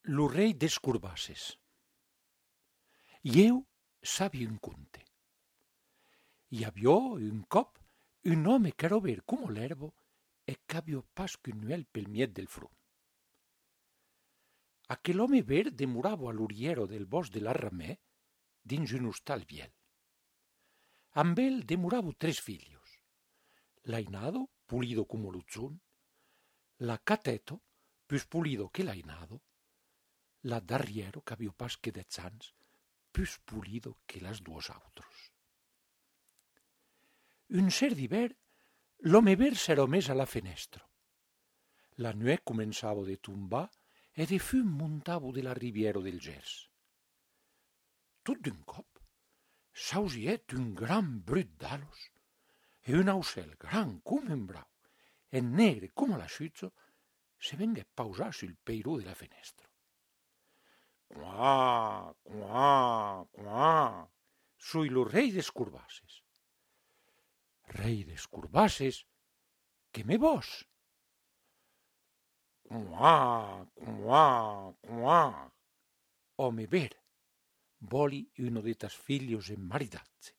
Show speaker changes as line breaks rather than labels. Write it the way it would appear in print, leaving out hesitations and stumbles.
Lo rei des Curbasses. Eu sabia un conte. Hi aviò un cop un home qu'era verd como l'erbo e qu'aviò pas qu'un nuel pel miet del front. Aquel home verd demorava a l'oriero del bosc de la Ramè dins un hostal viel. Amb el demoravo 3 filhos, l'ainado, pulido como l'uzzun, la cateto, pius pulido que l'ainado, la d'arriero, qu'aviò pas que 10 ans, pius pulido que las duos autros. Un cert d'hivern, l'home verd s'era mes a la fenestro. La nuè començava de tombar e de fum montavo de la riviera del Gers. Tot d'un cop, s'ausièt un gran brut d'alos e un aucel gran com un brau e negre com l'asciutzo se vengué pausar sul peiró de la fenestro. Quà, quà, quà, soi lo rei des Curbasses. Rei des Curbasses, que me vos? Quà, quà, quà. Home ver, voli uno de tas filhos enmaridazze.